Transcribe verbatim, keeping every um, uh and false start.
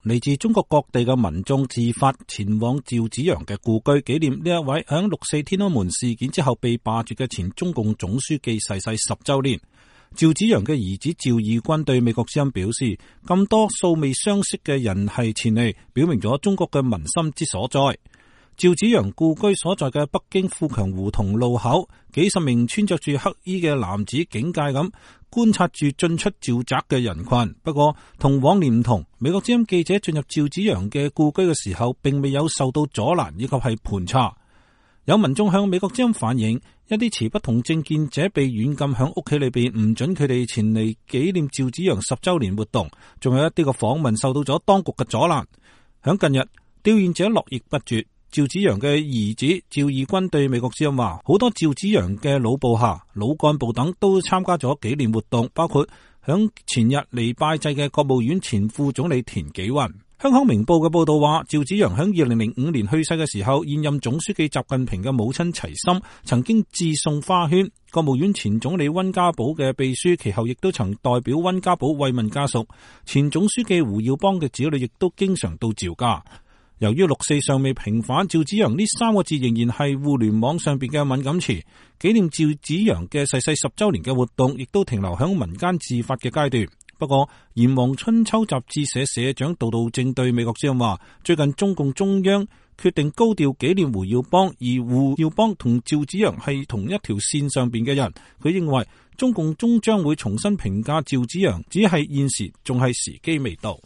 嚟自中國各地嘅民眾自發前往趙紫陽嘅故居，紀念呢一位響六四天安門事件之後被罷黜嘅前中共總書記逝世十周年。趙紫陽嘅兒子趙義軍對美國之音表示，咁多素未相識嘅人係前嚟，表明咗中國嘅民心之所在。趙紫陽故居所在嘅北京富強胡同路口，幾十名穿着住黑衣嘅男子警戒咁觀察住進出趙宅嘅人群。不過同往年唔同，美國之音記者進入趙紫陽嘅故居嘅時候，並未有受到阻攔以及係盤查。有民眾向美國之音反映，一啲持不同政見者被軟禁響屋企裏邊，唔准佢哋前嚟紀念趙紫陽十周年活動。仲有一啲個訪問受到咗當局嘅阻攔。響近日，弔唁者絡繹不絕。趙紫陽嘅兒子趙義軍對美國之音話，好多趙紫陽嘅老部下、老幹部等都參加咗紀念活動，包括響前日嚟拜祭嘅國務院前副總理田紀雲。香港明報嘅報道話，趙紫陽響二零零五年去世嘅時候，現任總書記習近平嘅母親齊心曾經致送花圈。國務院前總理溫家寶嘅秘書其後亦都曾代表溫家寶慰問家屬。前總書記胡耀邦嘅子女亦都經常到趙家。由於六四尚未平反，趙紫陽呢三個字仍然係互聯網上邊嘅敏感詞。紀念趙紫陽嘅逝世十周年嘅活動，亦都停留響民間自發嘅階段。不過，《炎黃春秋》雜誌社社長杜道正對美國之音話，最近中共中央決定高調紀念胡耀邦，而胡耀邦同趙紫陽係同一條線上邊嘅人。佢認為中共終將會重新評價趙紫陽，只係現時仲係時機未到。